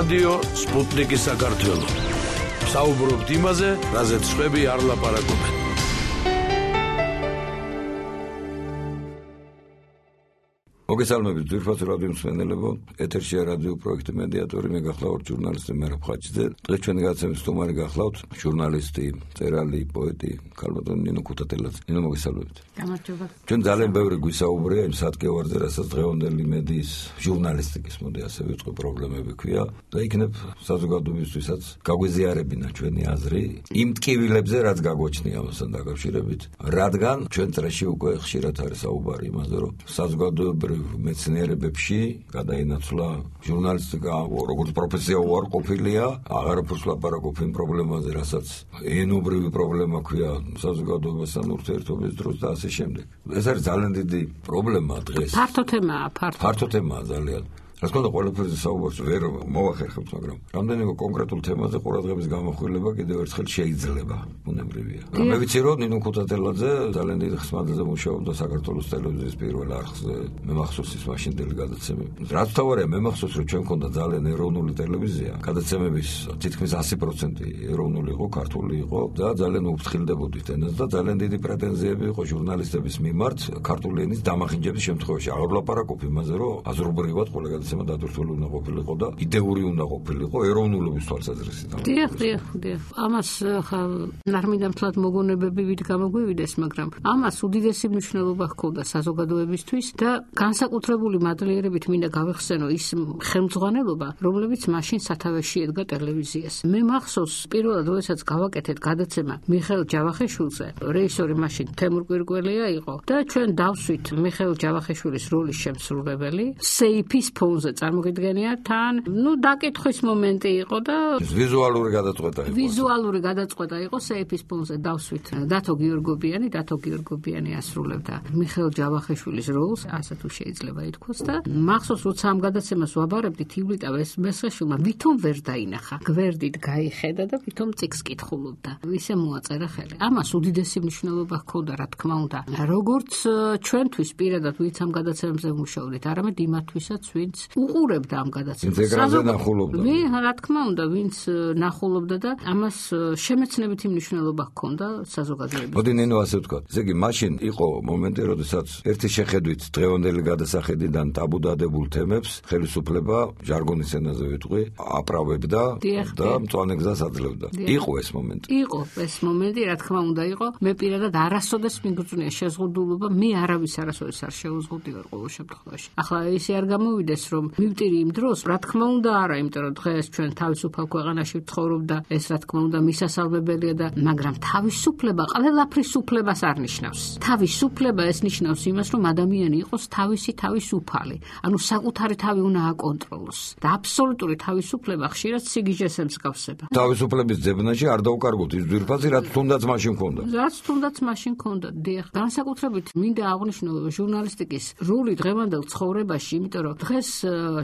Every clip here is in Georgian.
რადიო სპუტნიკი საქართველო. საუბრობთ იმაზე, რაზეც სხვები არ ლაპარაკობენ. მოგესალმებით ძვირფას რადიო მსმენელებო, ეთერშია რადიო პროექტი მედიატორი, მე გახლავთ ჟურნალისტი მერაბ ხაჭიძე. დღეს ჩვენი გადაცემის სტუმარი გახლავთ ჟურნალისტი, მწერალი, პოეტი ქალბატონი ნინო ქუთათელაძე. ნინო, მოგესალმებით. გამარჯობა. ჩვენ ძალიან ბევრი გვისაუბრია იმ სადგევარზე, რასაც დღევანდელი მედიის ჟურნალისტიკის მოდი ასე ვიწყო პრობლემები ქვია და იქნებ საზოგადოებისთვისაც გაგვეზიარებინა ჩვენი აზრი იმ ტკივილებზე, რაც გაგვაჩნია ამასთან დაკავშირებით, რადგან ჩვენ წრეში უკვე ხშირად არის საუბარი იმაზე, რომ საზოგადოებრივ მეცნიერებებში გადაინაცვლა ჟურნალისტიკა როგორც პროფესია უარყოფილია, აღარაფერს ლაპარაკობ იმ პრობლემაზე, რასაც ენობრივი პრობლემა ქვია საზოგადოებასთან ურთიერთობის დროს და ასე შემდეგ. ეს არის ძალიან დიდი პრობლემა დღეს. ფართო თემაა ძალიან. რა თქმა უნდა, ყველაფერზე საუბარს ვერ მოვახერხებთ, მაგრამ რამდენიმე კონკრეტულ თემაზე ყურადღების გამახვილება კიდევ ერთხელ შეიძლება, ბუნებრივია. მე ვიცი, რომ ნინო ქუთათელაძე ძალიან დიდი ხნის მანძილზე მუშაობდა საქართველოს ტელევიზიის პირველ არხზე, მე მახსოვს ის მაშინდელი გადაცემები. რაც თავარია, მე მახსოვს, რომ ჩვენ მქონდა ძალიან ეროვნული ტელევიზია, გადაცემების თითქმის 100% ეროვნული იყო, ქართული იყო და ძალიან უფრთხილდებოდით ენას და ძალიან დიდი პრეტენზიები იყო ჟურნალისტების მიმართ ქართული ენის დამახინჯების შემთხვევაში. აღარ ვლაპარაკობ იმაზე, რომ აზრობრივად ყველა დადროთული უნდა ყოფილიყო და იდეური უნდა ყოფილიყო ეროვნულობის თვალსაზრისით. დიახ. ამას ნარმიდამთლად მოგონებები ვით გამოგვივიდეს, მაგრამ ამას უდიდესი მნიშვნელობა ჰქონდა საზოგადოებისთვის და განსაკუთრებული მადლიერებით მინდა გავიხსენო ის ხელმძღვანელობა, რომლებიც მაშინ სათავეში ედგა ტელევიზიას. მე მახსოვს პირველად როდესაც გავაკეთეთ გადაცემა მიხეილ ჯავახიშვილზე, რეჟისორი მაშინ თემურ კვირკველია იყო და ჩვენ დავსვით მიხეილ ჯავახიშვილის როლის შემსრულებელი სეიფის ფონზე წარმოგიდგენია თან, დაკითხვის მომენტი იყო და ვიზუალური გადაწყვეტა იყო სეიფის ფონზე დავსვით. დათო გიორგობიანი ასრულებდა მიხეილ ჯავახიშვილის როლს, ასე თუ შეიძლება ითქვას და მახსოვს როცა ამ გადაცემას ვაბარებდით ივლიტა მესხეშვილმა ვითომ ვერ დაინახა. გვერდით გაიხედა და ვითომ წიგს კითხულობდა. ისე მოაწერა ხელი. ამას უდიდესი მნიშვნელობა ჰქონდა, რა თქმა უნდა, როგორც ჩვენთვის პირადად ვინც ამ გადაცემებზე მუშაობდით, არამედ იმათთვისაც ვინც უყურებდა ამ გადაცემას. რა თქმა უნდა, ვინც ნახულობდა და ამას შემეცნებითი მნიშვნელობა ჰქონდა საზოგადოებისთვის. მოდი ნინო ასე ვთქვა. ესე იგი, მაშინ იყო მომენტი, როდესაც ერთი შეხედვით დღევანდელი გადასახედიდან ტაბუდადებულ თემებს ხელისუფლება ჟარგონის ენაზე ვიტყვი, აправებდა და მწვანე გზას აძლევდა. იყო ეს მომენტი. იყო ეს მომენტი, რა თქმა უნდა იყო. მე პირადად არასოდეს მიგწვნია შეზღუდულობა, მე არავის არასოდეს არ შეუზღუდივარ ყოველ შემთხვევაში. ახლა ისე არ გამოვიდეს, რომ მივტირი იმ დროს, რა თქმა უნდა არა, იმიტომ რომ დღეს ჩვენ თავისუფალ ქვეყანაში ვცხოვრობ და ეს რა თქმა უნდა მისასალმებელია და მაგრამ თავისუფლება ყველაფრის უფლებას არ ნიშნავს. თავისუფლება ეს ნიშნავს იმას, რომ ადამიანი იყოს თავისი თავისუფალი, ანუ საკუთარი თავი უნდა აკონტროლოს და აბსოლუტური თავისუფლება ხშირად სიგიჟეს ემსგავსება. თავისუფლების ძებნაში არ დავკარგოთ ის ძვირფასი, რაც თუნდაც მაშინ ჰქონდა. დიახ, განსაკუთრებით მინდა აღვნიშნო ჟურნალისტიკის როლი დღევანდელ ცხოვრებაში, იმიტომ რომ დღეს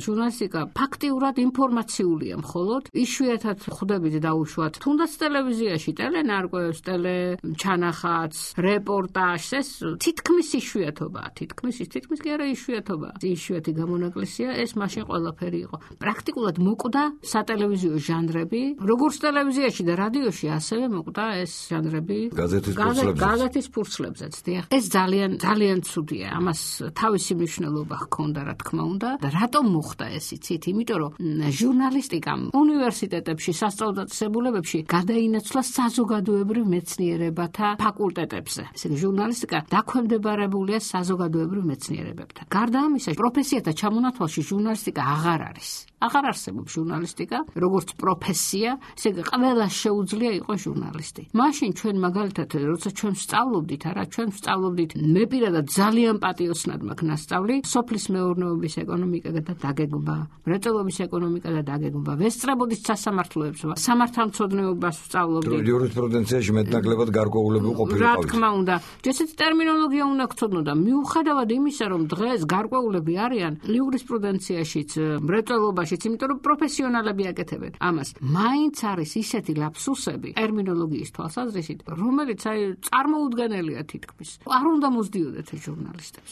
ჟურნალისტიკა ფაქტიურად ინფორმაციულია მხოლოდ, იშვიათად ხვდებით დაუშვათ თუნდაც ტელევიზიაში, ტელენარკვევს, ტელეჩანახატს, რეპორტაჟს, ეს თითქმის იშვიათობაა, თითქმის კი არა იშვიათობაა. იშვიათი გამონაკლისია, ეს მაშინ ყველაფერი იყო. პრაქტიკულად მოკვდა სატელევიზიო ჟანრები, როგორც ტელევიზიაში და რადიოში, ასევე მოკვდა ეს ჟანრები გაზეთის ფურცლებზეც. დიახ, ეს ძალიან ცუდია. ამას თავისი მნიშვნელობა ჰქონდა, რა თქმა უნდა. და რატომ მოხდა ეს იცით? იმიტომ რომ ჟურნალისტიკამ უნივერსიტეტებში, სასწავლებლებში გადაინაცვლა საზოგადოებრივ მეცნიერებათა ფაკულტეტებზე. ესე იგი, ჟურნალისტიკა დაქვემდებარებულია საზოგადოებრივ მეცნიერებებთან. გარდა ამისა, პროფესიათა ჩამონათვალში ჟურნალისტიკა აღარ არის. აღარ არსებობს ჟურნალისტიკა როგორც პროფესია, ესე იგი, ყველა შეუძლია იყოს ჟურნალისტი. მაშინ ჩვენ მაგალითად, როცა ჩვენ ვსწავლობდით, მე პირადად ძალიან პატიოსნად მაქვს ნასწავლი სოფლის მეურნეობის ეკონომიკა და დაგეგმვა, მრეწველობის ეკონომიკა და დაგეგმვა, ვესწრებოდით სასამართლოებს, სამართალმცოდნეობას ვსწავლობდით. იურისპრუდენციაში მეტნაკლებად გარკვეულები ყოფილიყავით. რა თქმა უნდა, ესეთი ტერმინოლოგია უნდა გწოდნო და მიუხედავად იმისა, რომ დღეს გარკვეულები არიან იურისპრუდენციაშიც, მრეწველობაშიც, იმიტომ რომ პროფესიონალები აკეთებენ ამას. მაინც არის ისეთი ლაფსუსები ტერმინოლოგიის თვალსაზრისით, რომელიც წარმოუდგენელია თითქმის. არ უნდა მოსდიოდეთ ჟურნალისტებს.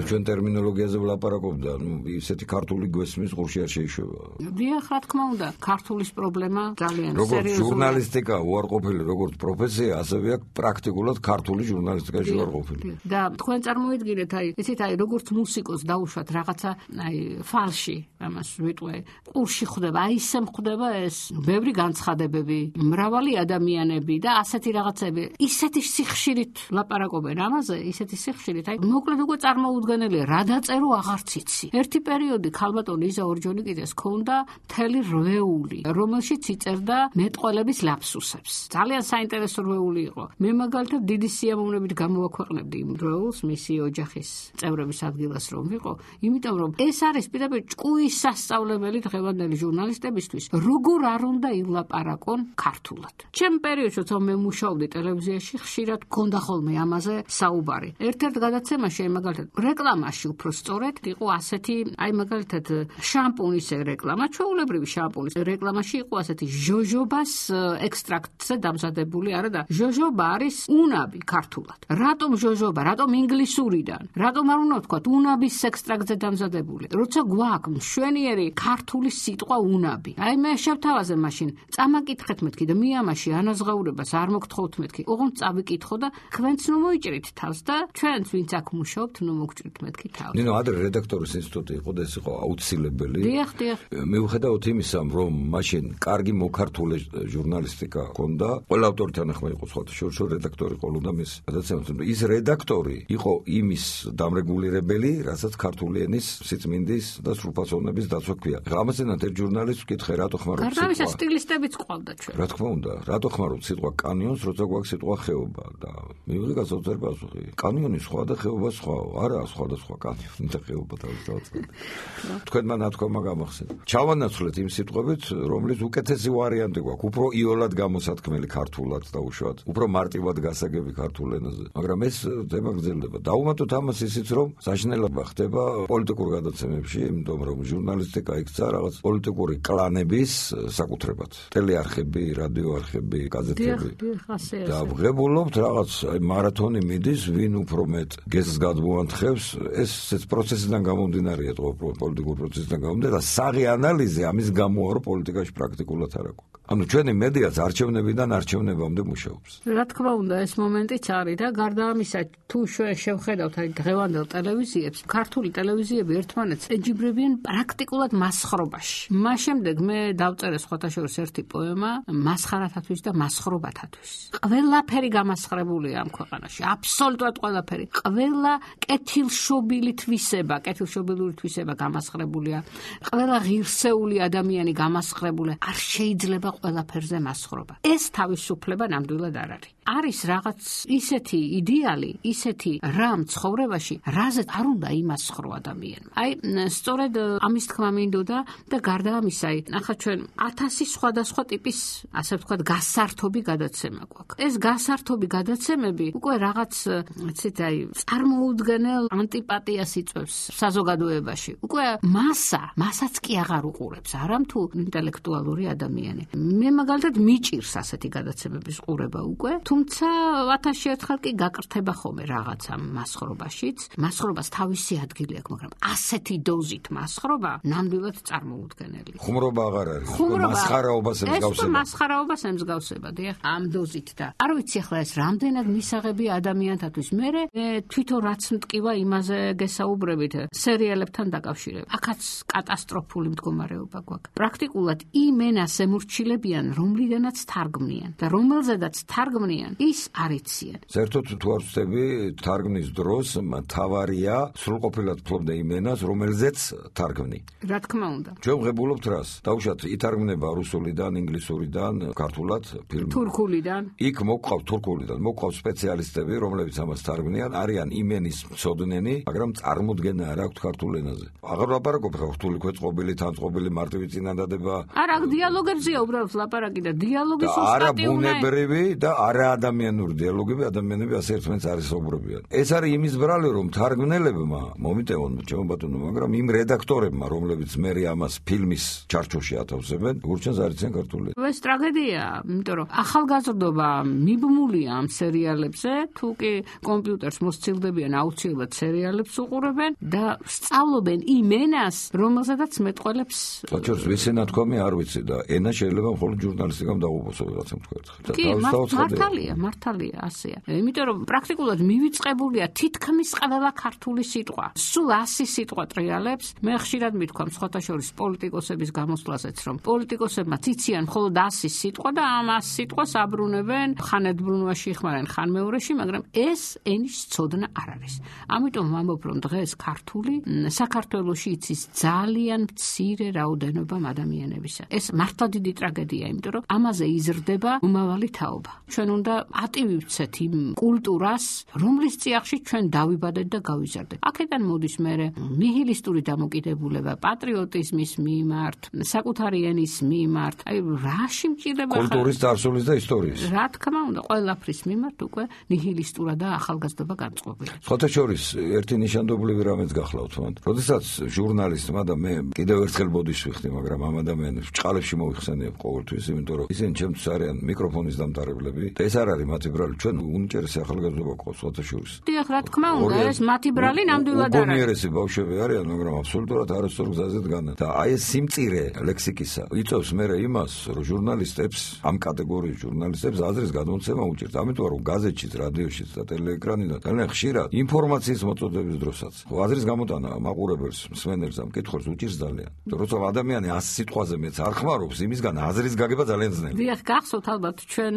ჩვენ ტერმინოლოგიაზე ვლაპარაკობ და ისეთი ქართული გვესმის ყურში არ შეიშვება. დიახ, რა თქმა უნდა, ქართულის პრობლემა ძალიან სერიოზულია. როგორც ჟურნალისტიკა უარყოფილი, როგორც პროფესია, ასევე აქ პრაქტიკულად ქართული ჟურნალისტიკაში უარყოფილი. და თქვენ წარმოიდგინეთ, იცით, როგორც მუსიკოს დაუშვათ რაღაცა, ფალში, ამას ვიტყვე, ყურში ხვდება, ისე ხვდება ეს ბევრი განცხადებები, მრავალი ადამიანები და ასეთი რაღაცები, ისეთი სიხშირით ლაპარაკობენ ამაზე, ისეთი სიხშირით, მოკლედ უკვე წარმოუდგენელია, რა დაწერო აღარც იცი. ერთი პერიოდი ქალბატონი იზა ორჯონიკიძეს ჰქონდა მთელი რვეული, რომელშიც იწერდა მეტყველების ლაფსუსებს. ძალიან საინტერესო რვეული იყო. მე მაგალითად დიდი სიამოვნებით გამოვაქვეყნებდი იმ რვეულს მისი ოჯახის წევრების ადგილას რომ ვიყო, იმიტომ რომ ეს არის პირდაპირ ჭკუის სასწავლებელი დღევანდელი ჟურნალისტებისთვის, როგორ არ უნდა ილაპარაკონ ქართულად. ჩემ პერიოდში, როცა მე მუშაობდი ტელევიზიაში, ხშირად გქონდა ხოლმე ამაზე საუბარი. ერთ-ერთ გადაცემაში, მაგალითად, რეკლამაში უფრო სწორედ იყო ასეთი, მაგალითად, შამპუნის რეკლამა, ჩვეულებრივი შამპუნის რეკლამაში იყო ასეთი ჟოჟობას ექსტრაქტზე დამზადებული, არა და ჟოჟობა არის უნაბი ქართულად. რატომ ჟოჟობა? რატომ ინგლისურიდან? რატომ არ უნდა ვთქვათ უნაბის ექსტრაქტზე დამზადებული? როცა გვაქვს მშვენიერი ქართული სიტყვა უნაბი. მე შევთავაზე მაშინ, წამაკითხეთ მეთქი და მიამაში ანაზღაურებას არ მოგთხოვთ მეთქი. ოღონდ წავიკითხო და თქვენც ნუ მოიჭრით თავს და ჩვენც ვინც აქ მუშაობთ, ნუ მოგჭრით მეთქი თავს. ნინო, ადრე რედაქტორის ინსტიტუტი იყო და ეს იყო აუცილებელი. დიახ. მიუხედავად იმისა, რომ მაშინ კარგი მოქართული ჟურნალისტიკა ჰქონდა, ყველა ავტორთან ახლა იყო სხვა რედაქტორი ყოლოდა მის გადაცემას. ის რედაქტორი იყო იმის დამრეგულირებელი, რასაც ქართული ენის სიწმინდის და სრულფასოვნების დაცვა ქვია. ამასთანავე ერთ ჟურნალისტს ვკითხე, რატო ხმარობ სიტყვა. გარდა სტილისტებიც ყავდა ჩვენ. რა თქმა უნდა, რატო ხმარობ სიტყვა კანიონს, როცა გვაქვს სიტყვა ხეობა და მივიღე გასაოცარი პასუხი. კანიონი სხვა და ხეობა სხვაო. არა, სხვადასხვა კანიონი და ხეობა თავისთავად. თქვენმა ნათქვამა გამახსენდა. ჩავანაცვლეთ იმ სიტყვებით, რომლის უკეთესი ვარიანტი გვაქვს, უფრო იოლად გამოსათქმელი ქართულად დაუშვათ, უფრო მარტივად გასაგები ქართულ ენაზე. მაგრამ ეს თემა გრძელდება. დაუმატოთ ამას ისიც, რომ საშინელება ხდება პოლიტიკურ გადაცემებში, იმიტომ რომ ჟურნალისტიკა იქცა რაღაც პოლიტიკური კლანების საკუთრებად. ტელეარხები, რადიოარხები, გაზეთები. და ვღებულობთ რაღაც მარათონი მიდის, ვინ უფრო მეტ გეზს გადმოანთხევს, ეს პროცესიდან გამომდინარეა, პოლიტიკურ პროცესიდან გამომდინარე და საღი ანალიზი ამის გამოა, რომ პოლიტიკაში პრაქტიკულად არ აქვს. ანუ ჩვენი მედიაც არჩევნებიდან არჩევნებამდე მუშაობს. რა თქმა უნდა, ეს მომენტიც არის და გარდა ამისა, თუ შევხედავთ დღევანდელ ტელევიზიებს, ქართული ტელევიზიები ერთმანეთს ეჯიბრებიან პრაქტიკულად მასხრობაში. მას შემდეგ მე დავწერე სხვათა შორის ერთი პოემა მასხარათათვის და მასხრობათათვის. ყველაფერი გამასხრებულია ამ ქვეყანაში, აბსოლუტურად ყველაფერი. ყველა კეთილშობილი თვისება გამასხრებულია. ყველა ღირსეული ადამიანი გამასხრებულია. არ შეიძლება ყველაფერზე მასხრობა. ეს თავისუფლება ნამდვილად არ არის. არის რაღაც ისეთი იდეალი, ისეთი რამ ცხოვრებაში, რაზეც არ უნდა იმასხრო ადამიანმა. სწორედ ამის თქმა მინდოდა და გარდა ამისა, ახლა ჩვენ 1000 სხვადასხვა ტიპის, ასე ვთქვათ, გასართობი გადაცემა გვაქვს. ეს გასართობი გადაცემები უკვე რაღაც, წარმოუდგენელ ანტიპატიას იწვევს საზოგადოებაში. უკვე მასაც კი აღარ უყურებს, არამთუ ინტელექტუალური ადამიანი. მე მაგალითად მიჭირს ასეთი გადაცემების ყურება უკვე, თუმცა 1000 ერთხელ კი გაკრთება ხოლმე რაღაცა მასხრობაშიც. მასხრობას თავისი ადგილი აქვს, მაგრამ ასეთი დოზით მასხრობა ნამდვილად წარმოუდგენელია. ხუმრობა აღარ არის, მასხარაობას ემსგავსება. ეს მასხარაობას ემსგავსება, დიახ, ამ დოზით და არ ვიცი ახლა ეს რამდენად მისაღებია ადამიანთათვის. მე თვითონ რაც მტკივა იმაზე გესაუბრებით სერიალებთან დაკავშირებით. აქაც კატასტროფული მდგომარეობა გვაქვს. პრაქტიკულად იმ ენას ემორჩილებიან, რომლიდანაც თარგმნიან და რომელზედაც თარგმნიან, ის არ იციან. საერთოდ თუ არ ვწდები, თარგმნის დროს მთავარია სრულყოფილად ფლობდა იმ ენას, რომელზეც თარგმნი. რა თქმა უნდა. ჩვენ ვღებულობთ რას? დაუშვათ ითარგმნება რუსულიდან, ინგლისურიდან, ქართულად ფილმი. თურქულიდან. იქ მოგყავთ თურქულიდან, მოგყავთ სპეციალისტები, რომლებიც ამას თარგმნიან, არიან იმ ენის მცოდნენი, მაგრამ წარმოდგენა არ აქვთ ქართულ ენაზე. აღარ ვაპარაკობ ხა რთული ქვეწყობილი, თანწყობილი, მარტივი წინადადება. არა, დიალოგებზეა უბრალოდ საქმეებს ლაპარაკი და დიალოგი არა ბუნებრივი და არა ადამიანური დიალოგები, ადამიანები ასე ერთმანეთს არ ესაუბრებიან. ეს არის იმის ბრალი, რომ თარგმნელებმა მომიტევონ ჩემო ბატონო, მაგრამ იმ რედაქტორებმა, რომლებიც მერე ამას ფილმის ჩარჩოში ათავსებენ, გურჩენს არ იციან ქართული. ეს ტრაგედია, იმიტომ რომ ახალგაზრდობა მიბმულია ამ სერიალებზე, თუ კი კომპიუტერს მოსცილდებიან აუცილებლად სერიალებს უყურებენ და სწავლობენ იმ ენას, რომელზედაც მეტყველებს. საჩუქრს ვიცი ნათქვამი არ ვიცი და ენა შეიძლება მხოლოდ ჟურნალისტიკამ დაუბრუნოს, რაცა თქვა ერთხელ. კი, მართალია, ასეა. იმიტომ რომ პრაქტიკულად მივიწყებულია თითქმის ყველა ქართული სიტყვა. სულ 100 სიტყვა ტრიალებს. მე ხშირად მithქვამ სხვათა შორის პოლიტიკოსების გამოსვლაზეც, რომ პოლიტიკოსებმაც იციან მხოლოდ 100 სიტყვა და ამ 100 სიტყვას აბრუნებენ ხან ერთბრუნვაში იხმარენ, ხან მეორეში, მაგრამ ეს ენის ცოდნა არ არის. ამიტომ ვამბობ, რომ დღეს ქართული საქართველოში იცის ძალიან მცირე რაოდენობა ადამიანებისა. ეს მართლა დიდი ტრაგედია, იმიტომ რომ ამაზე იზრდება მომავალი თაობა. ჩვენ უნდა ატივივცეთ იმ კულტურას, რომლის წიაღში ჩვენ დავიბადეთ და გავიზარდეთ. აქედან მოდის მერე ნიჰილისტური დამოკიდებულება, პატრიოტიზმის მიმართ, საკუთარი ენის მიმართ, აი რა სიმჭირდება კულტურის დარსულის და ისტორიის. რა თქმა უნდა, ყველაფრის მიმართ უკვე ნიჰილისტურა და ახალგაზრდობა განწყობილია. სხვათა შორის ერთი ნიშანდობლივი რამეც გახლავთ მან. როდესაც ჟურნალისტმა და მე კიდევ ერთხელ ბოდიში ვიხდი, მაგრამ ამ ადამიანებს ჭყალებში მოიხსენიებ ყოველთვის, იმიტომ რომ ისინი ჩემთვის არიან მიკროფონის დამტარებლები და ეს არ არის მათი ბრალი, ჩვენ უნიჭერესი ახალგაზრდობა ყავს სხვათა შორის. დიახ, რა თქმა უნდა, ეს მათი ბრალი ნამდვილად არ არის. გონიერესი ბავშვები არიან, მაგრამ აბსოლუტურად არასწორ გზაზე დგანან. და აი ეს სიმწირე ლექსიკისა იწევს მერე იმას, რომ ჟურნალისტებს, ამ კატეგორიის ჟურნალისტებს აზრის გადმოცემა უჭირთ. ამიტომ რომ გაზეთშიც, რადიოშიც და ტელეეკრანიდან ძალიან ხშირად ინფორმაციის მოწოდების დროსაც აზრის გამოტანა მაყურებელს, მსმენელს ამ კითხვას უჭირს ძალიან. როცა ადამიანი 100 სიტყვაზე მეც არ ხმარობს, იმისგან აზრის გაგება ძალიან ძნელია. დიახ, გახსოვთ ალბათ ჩვენ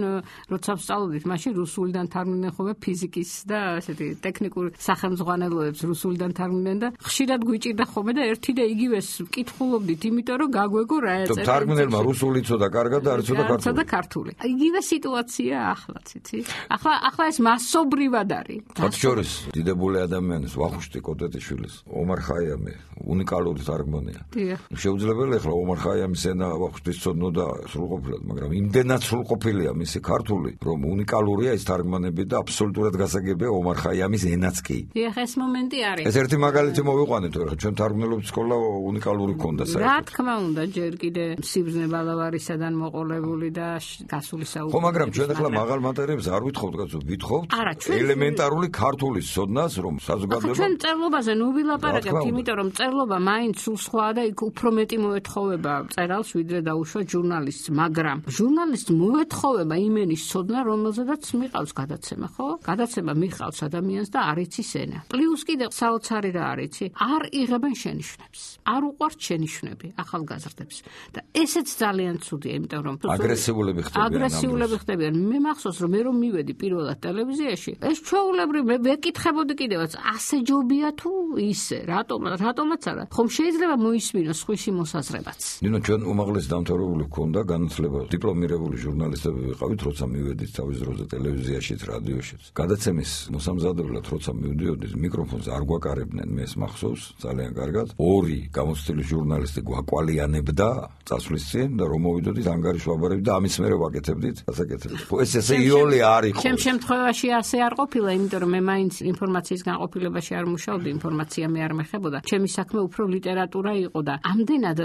როცა ვსწავლობდით, მაშინ რუსულიდან თარგმნდნენ ხოლმე ფიზიკის და ასეთი ტექნიკურ სახელმძღვანელოებს რუსულიდან თარგმნდნენ და ხშირად გვიჭირდა ხოლმე და ერთი და იგივეს ვკითხულობდით, იმიტომ რომ გაგვეგო რა ეწერა. თარგმნელმა რუსული იცოდა კარგად და არ იცოდა ქართული. იგივე სიტუაცია ახლაც, იცი? ახლა ეს მასობრივად არის. მათ შორის დიდებული ადამიანის ვახუშტი კოტეტიშვილის ომარ ხაიამი უნიკალური თარგმანია. შეუძლებელია ახლა ომარ ხაიამის ენა ვახუშტის ცოდნოდა სრულყოფილად, მაგრამ იმდენად სრულყოფილია მისი ქართული, რომ უნიკალურია ეს თარგმანები და აბსოლუტურად გასაგებია ომარ ხაიამის ენაც კი. დიახ, ეს მომენტი არის. ეს ერთი მაგალითი მოვიყვანეთ, რა ჩვენ თარგმნელობის სკოლა უნიკალური ქონდა საერთოდ. რა თქმა უნდა, ჯერ კიდე სიბრძნე ბალავარისადან მოყოლებული და გასული საუბარი. ხო, მაგრამ ჩვენ ახლა მაღალ მატერიებს არ ვითხოვთ, კაცო, ვითხოვთ ელემენტარული ქართულის ცოდნას, რომ საზოგადოება ჩვენ წერლობაზე ნუ ვილაპარაკებთ, იმიტომ რომ წერლობა მაინც სულ სხვაა და იქ უფრო მეტი მოეთხოვება წერალს, ვიდრე დაუშვა ჟურნალისტს, მაგრამ ჟურნალისტს მოეთხოვება იმენის ცოდნა, რომელზედაც მიყავს გადაცემა, ხო? გადაცემა მიყავს ადამიანს და არ იცის ენა. პლუს კიდე საოცარი რა არის, არ იღებენ შენიშვნებს. არ უყვართ შენიშვნები ახალგაზრდებს. და ესეც ძალიან ცუდია, იმიტომ რომ აგრესიულები ხდებიან. მე მახსოვს, რომ მე რომ მივედი პირველად ტელევიზიაში, ეს ჩვეულებრივ მე ვეკითხებოდი კიდევაც, ასე ჯობია თუ ისე, რატომაც არა. ხომ შეიძლება მოისმინოს სხვისი მოსაზრებაც. ნინო, ჩვენ უმაღლესი დამთავრებული გვქონდა განათლება, დიპლომირებული ჟურნალისტები ვიყავით, როცა მივედით თავის დროზე ტელევიზიაშიც, რადიოშიც. გადაცემის მოსამზადებლად როცა მივდიოდით, მიკროფონს არ გვაკარებდნენ, მე ეს მახსოვს ძალიან კარგად. ორი გამოცდილი ჟურნალისტი გვაკვალიანებდა წასვლის წინ და რომ მოვიდოდით ანგარიშ ვაბარებდით და ამის მერე ვაკეთებდით დასაკეთებას. ეს ესე იოლი არ იყო. ჩემ შემთხვევაში ასე არ ყოფილა, იმიტომ რომ მე მაინც ინფორმაციის განყოფილებაში არ მუშაობდი, ინფორმაცია მე არ მეხებოდა. ჩემი საქმე უფრო ლიტერატურა იყო და ამდენად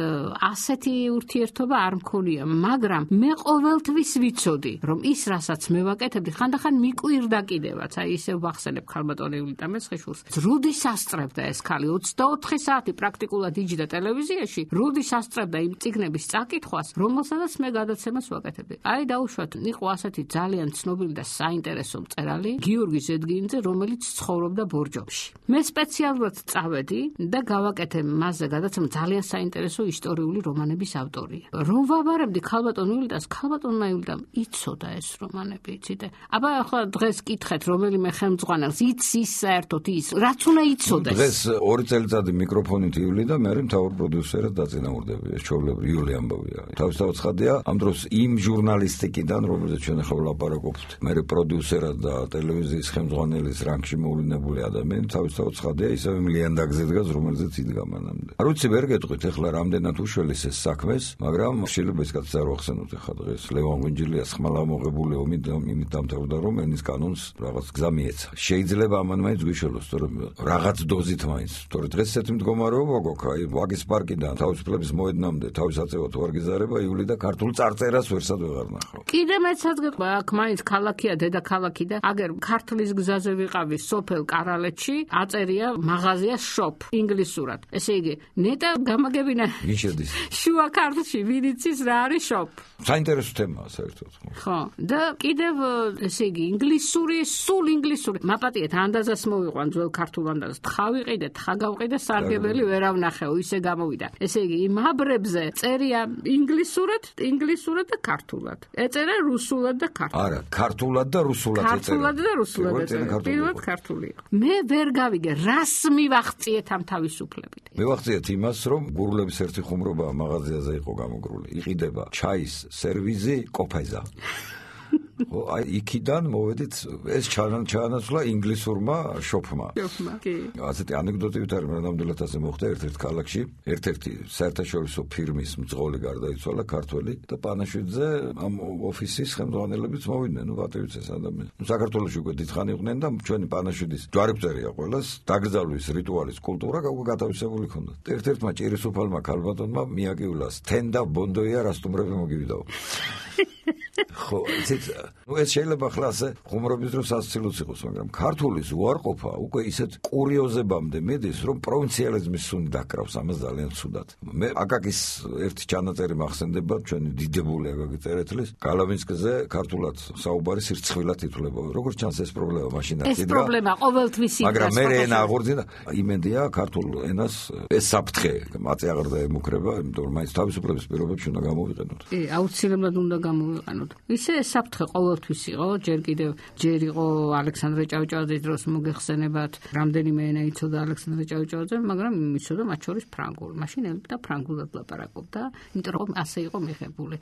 ასეთი ურთიერთობა არ მქონია, მაგრამ მე ყოველთვის ვიცოდი, რომ ის რასაც მე ვაკეთებდი, ხანდახან მიკვირდა კიდევაც. აი ისევ ვახსენებ ქალბატონ ივლიტა მეცხიშვილს. როდის ასწრებდა ეს ქალი 24 საათი პრაქტიკულად იჯდა ტელევიზიაში, როდის ასწრებდა იმ წიგნების წაკითხვას, რომელსაც მე გადაცემას ვაკეთებდი. აი დაუშვათ, იყო ასეთი ძალიან ცნობილი და საინტერესო მწერალი გიორგი ზედგინიძე, რომელიც ცხოვრობდა ბორჯომში. მე სპეციალურად წავედი და გავაკეთე მასზე გადაცემა, ძალიან საინტერესო ისტორიული რომანების ავტორია. რომ ვაბარებდი ქალბატონ ივლიტას, ქალბატონმა ივლიტამ იცოდა ეს რომანები, იცით? აბა ახლა დღეს კითხეთ, რომელიმე ხელმძღვანელს იცის საერთოდ ის, რაც უნდა იცოდეს. დღეს 2 წელიწადი მიკროფონით ივლი და მე მთავარ პროდიუსერად დაწინაურდები. ეს ჩვეულებრივი იული ამბავია. თავისთავად ცხადია, ამ დროს იმ ჟურნალისტიკიდან, რომელზეც ჩვენ ახლა ვლაპარაკობთ, მე პროდიუსერად და ტელევიზიის ხელმძღვანელის რანგში მოვლენებული ადამიანი, თავისთავად ცხადია, ისევ იმ ლიანდაგზე დგას, რომელზეც იდგა მანამდე. არ ვიცი, ვერ გეტყვით ახლა რამდენად უშველეს ეს საქმეს, მაგრამ შეიძლება ჯარისკაცებს არ ვახსენოთ ახლა დღეს. ლევან ღვინჯილიას ხმალა მოღებული ომით დამთავრდა, რომ ენის კანონს რაღაც გზა მიეცა. შეიძლება ამან მაინც გვიშველოს, თორემ რაღაც დოზით მაინც. თორე დღეს ესეთი მდგომარეობა გვაქვს, აი ვაგის პარკიდან თავისუფლების მოედნამდე თავის აწევად ვარ გიზარება იული და ქართულ წარწერას ვერსად ვეღარ ნახავ. კიდე მეცაც გეტყვა, აქ მაინც ქალაქია, დედაქალაქი და აგერ ქართლის გზაზე ვიყავი სოფელ კარალეთში, აწერია მაღაზია shop ინგლისურად. ესე იგი, ნეტა გამაგებინა გიჩერდის. შუა ქართლში ვინიცის რა არის shop. საინტერესო თემაა საერთოდ. ხო, და კიდევ ესე იგი, ინგლისური, სულ ინგლისური. მაპატიეთ ანდაზას მოვიყვან ძველ ქართულ ანდაზას. თხა ვიყიდე, თხა გავყიდე, სარგებელი ვერავ ნახეო, ისე გამოვიდა. ესე იგი, იმ აბრებზე წერია ინგლისურად და ქართულად. ეწერა რუსულად და ქართულად. არა, ქართულად და რუსულად ეწერა. ქართულად და რუსულად ეწერა. პირველად ქართული იყო. მე ვერ გავიგე, რას მივახციეთ ამ თავისუფლებით. მივახციეთ იმას, რომ გურულების ერთი ხუმრობა მაღაზიაზე იყო გამოგრული. იყიდება ჩაის სერვიზი, კოფეზა. აი იქიდან მოვედით ეს ჩაანაცვლა ინგლისურმა შოპმა. კი. ასეთი ანეკდოტივით არის, ნამდვილად ასე მოხდა ერთ-ერთ ქალაქში, ერთ-ერთი საერთაშორისო ფირმის მძღოლი გარდაიცვალა ქართველი და პანაშვიდზე ამ ოფისის ხელმძღვანელებიც მოვიდნენ, პატივიცეს ადამიანს. საქართველოში უკვე დიდხანი იყვნენ და ჩვენი პანაშვიდის ჯვარებწერია ყველას, დაკრძალვის რიტუალის კულტურა გათავისებული ჰქონდათ. ერთ-ერთმა ჭირისუფალმა ქალბატონმა მიაკივლას თენდა ბონდოია რასტუმრები მოგივიდაო. ხო, ეს შეიძლება ხლა ასე ხუმრობის დროს ასცილოც იყოს, მაგრამ ქართულის უარყოფა უკვე ისეთ კურიოზებამდე მედის, რომ პროვინციალიზმის სუნი დაკრავს ამას ძალიან ცუდად. მე აკაკის ერთი ჩანაწერი მახსენდება, ჩვენი დიდებული აკაკი წერეთლის, გალავინსკზე ქართულად საუბარი სირცხვილად ითვლება. როგორც ჩანს ეს პრობლემა მაშინ არ ეს პრობლემა ყოველთვის იქნება. მაგრამ მე ენა აღორძინა, იმედია ქართულ ენას ეს საფრთხე მაწეაღარ დაემუქრება, იმიტომ რომ მაინც თავისუფლების პირობებში უნდა გამოვიყენოთ. კი, აუცილებლად უნდა გამოვიყენოთ. ისე საფრთხე ყოველთვის იყო, ჯერ იყო ალექსანდრე ჭავჭავაძის დროს მოგეხსენებათ, რამდენიმე ენა იცოდა ალექსანდრე ჭავჭავაძე, მაგრამ იცოდა მათ შორის ფრანგული. მაშინ ელოდა ფრანგულად ლაპარაკობდა, იმიტომ რომ ასე იყო მიღებული.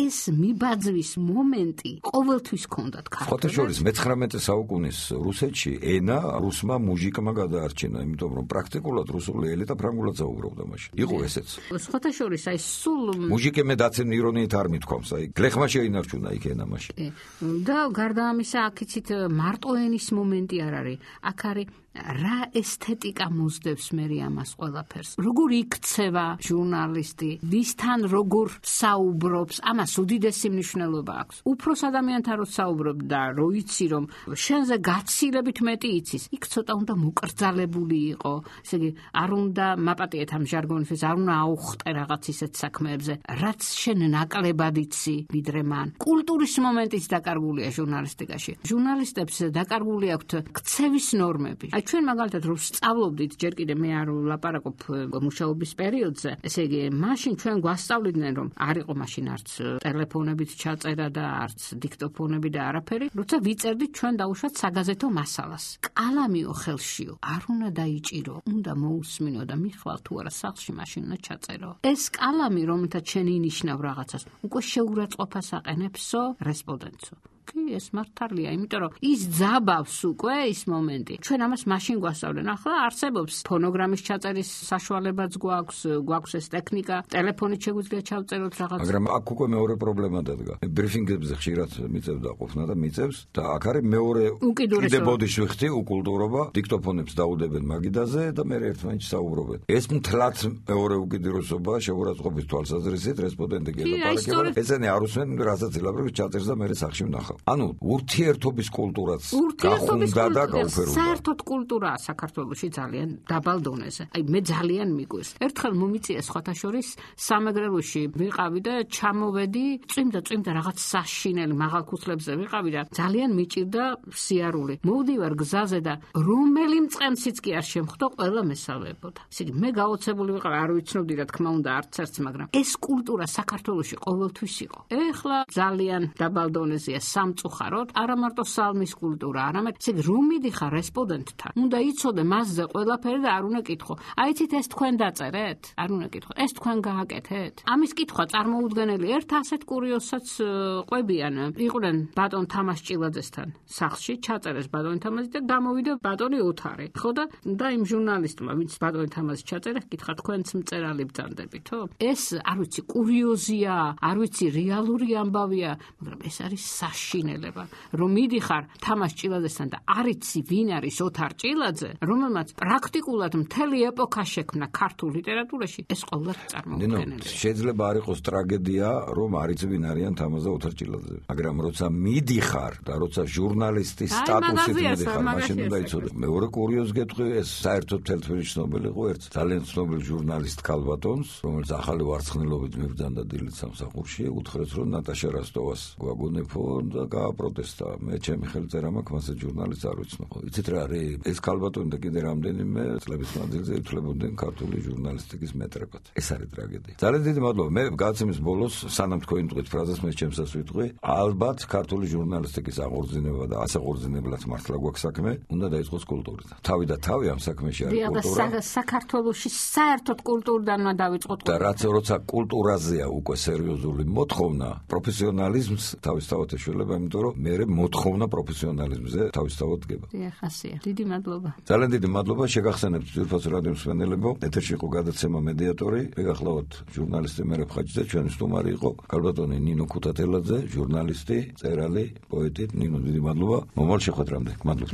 ეს მიბაძვის მომენტი ყოველთვის ჰქონდათ ქართველებს. სხვათა შორის მე-19 საუკუნის რუსეთში ენა რუსმა მუჟიკმა გადაარჩინა, იმიტომ რომ პრაქტიკულად რუსული ელიტა ფრანგულად საუბრობდა მაშინ. იყო ესეც. სხვათა შორის აი სულ მუჟიკემე დაცემ ირონიით არ მithქვამს, აი გლეხმა შეინარჩუნა იქ ენა მაშინ. და გარდა ამისა, აქ იცით მარტო ენის მომენტი არ არის. აქ არის რა ესთეტიკა მოსდევს მე ამას ყველაფერს. როგორ იქცევა ჟურნალისტი, ვისთან როგორ საუბრობს, ამას უდიდესი მნიშვნელობა აქვს. უფროს ადამიანთან რო საუბრობ და რო იცი რომ შენზე გაცილებით მეტი იცის, იქ ცოტა უნდა მოკრძალებული იყო. ესე იგი, არ უნდა მაპატიეთ ამ ჟარგონისთვის, არ უნდა აუხტე რაღაც ისეთ საქმეებზე, რაც შენ ნაკლებად იცი, ვიდრე მან. კულტურის მომენტიც დაკარგულია ჟურნალისტიკაში. ჟურნალისტებს დაკარგული აქვთ ქცევის ნორმები. ჩვენ მაგალითად რომ სწავლობდით, ჯერ კიდე მე არ ვლაპარაკობ მუშაობის პერიოდზე, ესე იგი, მაშინ ჩვენ გვასწავლიდნენ, რომ არ იყო მაშინ არც ტელეფონებით ჩაწერა და არც დიქტოფონები და არაფერი, როცა ვიწერდით ჩვენ დაუშვათ საგაზეთო მასალას. კალამიო ხელშიო, არ უნდა დაიჭირო, უნდა მოусმინო და მიხვალ თუ არა სახლში მაშინ უნდა ჩაწერო. ეს კალამი, რომელთაც შენ ინიშნავ რაღაცას, უკვე შეურაცხყოფას აყენებსო რესპონდენტსო. კი, ეს მართალია, იმიტომ რომ ის ძაბავს უკვე ის მომენტი. ჩვენ ამას მაშინ გვასწავლენ. ახლა არსებობს ფონოგრამის ჩაწერის საშუალებაც გვაქვს ეს ტექნიკა, ტელეფონით შეგვიძლია ჩავწეროთ რაღაც. მაგრამ აქ უკვე მეორე პრობლემა დადგა. ბრიფინგებზე ხშირად მიწევდა ყოფნა და მიწევს და აქ არის მეორე კიდე ბოდიში ვიხდი უკულტურობა, დიქტოფონებს დაუდებენ მაგიდაზე და მე ერთმანეთს საუბრობენ. ეს მთლად მეორე უკიდურესობა შეურაცხყოფის თვალსაზრისით რესპონდენტი გელაპარაკება. ესენი არ უსმენ, რასაც ილაპარაკებს ჩაწერს და მე სახში ვნახავ. ანუ ურთიერთობის კულტურაც გახუნდა და გაუფერდა. საერთოდ კულტურაა საქართველოში ძალიან დაბალ დონეზე. აი მე ძალიან მიგვირს. ერთხელ მომიწია სხვათა შორის სამეგრელოში ვიყავი და ჩამოვედი, წვიმდა რაღაც საშინელი მაღალქუსლებზე ვიყავი და ძალიან მიჭირდა სიარული. მოვდივარ გზაზე და რომელი მწყემსიც კი არ შემხვდო, ყველა მესალმებოდა. ესე იგი მე გაოცებული ვიყავი, არ ვიცნობდი რა თქმა უნდა არც ერთს, მაგრამ ეს კულტურა საქართველოში ყოველთვის იყო. ეხლა ძალიან დაბალ დონეზეა. სამწუხაროდ, არა მარტო სალმის კულტურა, არამედ ისე რომ მიდიხარ რესპონდენტთან, უნდა იცოდე მასზე ყველაფერი და არ უნდა კითხო. აიცით ეს თქვენ დაწერეთ? არ უნდა კითხო. ეს თქვენ გააკეთეთ? ამის კითხვა წარმოუდგენელი. ერთ ასეთ კურიოზსაც ყვებიან. იყვნენ ბატონ თამაზ ჭილაძესთან სახლში, ჩაწერეს ბატონი თამაზი და გამოვიდა ბატონი ოთარი. ხო და იმ ჟურნალისტმა, ვინც ბატონი თამაზი ჩაწერა, კითხა თქვენც მწერალი ბრძანდებითო? ეს არ ვიცი კურიოზია, არ ვიცი რეალური ამბავია, მაგრამ ეს არის საშინელება, რომ მიდიხარ თამაზ ჭილაძესთან და არ იცი ვინ არის ოთარ ჭილაძე, რომელმაც პრაქტიკულად მთელი ეპოქა შექმნა ქართულ ლიტერატურაში, ეს ყოველად წარმოუდგენელია. შეიძლება არ იყოს ტრაგედია, რომ არ იცი ვინ არიან თამაზ და ოთარ ჭილაძე, მაგრამ როცა მიდიხარ და როცა ჟურნალისტის სტატუსით მიდიხარ, მაშინ უნდა იცოდე. მეორე კურიოზი გეტყვი, ეს საერთოდ თელთვირი ცნობილი იყო ერთ ძალიან ცნობილი ჟურნალისტ ქალბატონს, რომელიც ახალი ვარცხნილობით მიბრძანდა დილით სამსახურში, უთხრეს რომ ნატაშა რასტოვას გვაგონებო და გააპროტესტა. მე ჩემი ხელი წერა მაქვს, მასე ჟურნალისტს არ ვიცნობ. იცით რა არის? ეს ქალბატონი და კიდე რამდენიმე წლების მანძილზე ითვლებოდნენ ქართული ჟურნალისტიკის მეტრებად. ეს არის ტრაგედია. ძალიან დიდი მადლობა. მე გადაცემის ბოლოს სანამ თქვენ თქვით ფრაზას, მე ჩემსაც ვიტყვი, ალბათ ქართული ჟურნალისტიკის აღორძინება და ასაღორძინებლად მართლა გვაქვს საქმე, უნდა დაიწყოს კულტურიდან. თავი და თავი ამ საქმეში არის კულტურა. საქართველოში საერთოდ კულტურიდანმა დავიწყოთ. და როცა კულტურაზეა უკვე სერიოზული მოთხოვნა, პროფესიონალიზმს თავისთავად ეშველება, იმიტომ რომ მე მოთხოვნა პროფესიონალიზმზე თავისთავად დგება. ხასია. დიდი მადლობა. ძალიან დიდი მადლობა. შეგახსენებთ ძვირფას რადიო მსმენელებო, ეთერში იყო გადაცემა მედიატორი. მეგახლავთ ჟურნალისტი მერაბ ხაჯიძე, ჩვენი სტუმარი იყო ქალბატონი ნინო ქუთათელაძე, ჟურნალისტი, მწერალი, პოეტი. ნინო, დიდი მადლობა. მომავალ შეხვედრამდე. მადლობა.